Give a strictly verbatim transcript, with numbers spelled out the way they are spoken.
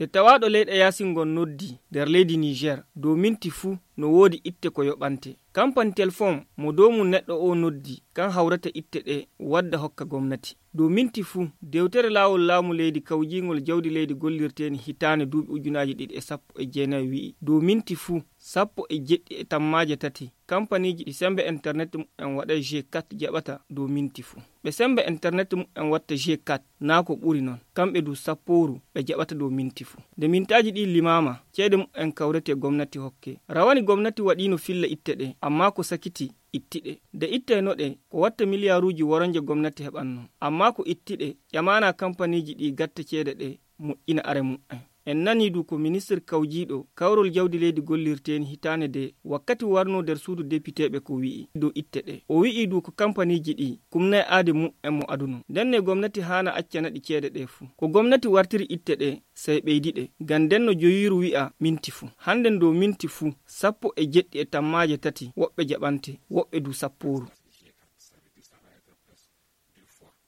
E tawaaɗo leyɗe yaasin ngon noddi nder leydi Niger dow minti fuu no woodi itte ko yoɓante. Kampani telefon mo dow mum neɗɗo o noddi kan hawrata itte ɗe wadda hokka gomnati. Dow minti fuu, dewtere laawol laamu leydi kawjiingol jawdi leydi gollirteeni hitaande duuɓi ujunaaji ɗiɗi e sappo e jeenayi wi'i dow minti fuu, sappo e jeɗɗi e tammaaje tati kampaniiji ɗi semmbe internet mumen waɗay g kat jaɓata dow minti fuu. Ɓe semmbe internet mumen watta g kat naa ko ɓuri non, kamɓe du sappooru ɓe jaɓata dow minti fuu. Nde mintaaji ɗi limaama, ceede mumen kawrete gomnati hokke. Rawani gomnati waɗiino filla itte ɗe, ammaa ko sakiti itti ɗe. Nde ittayno ɗe, ko watta miliyaaruuji woronje gomnati heɓanno. Ammaa ko itti ɗe, ƴamaana kampaniiji ɗi gatta ceede ɗe, moƴƴina are mumen. En nanii du ko ministir kawjiiɗo kawrol jawdi leydi gollirteeni hitaande de wakkati warnoo nder suudu depiteeɓe ko wi'i dow itte ɗe. O wi'i du ko kampaniiji ɗi kumnay aade mumen mo adunoo. Ndenne gomnati haana accana ɗi ceede ɗe fuu. Ko gomnati wartiri itte ɗe, sey ɓeydi ɗe. Ngam nden no joyiiru wi'a minti fuu. Hannden dow minti fuu, sappo e jeɗɗi e tammaaje tati woɓɓe jaɓante, woɓɓe du sappooru.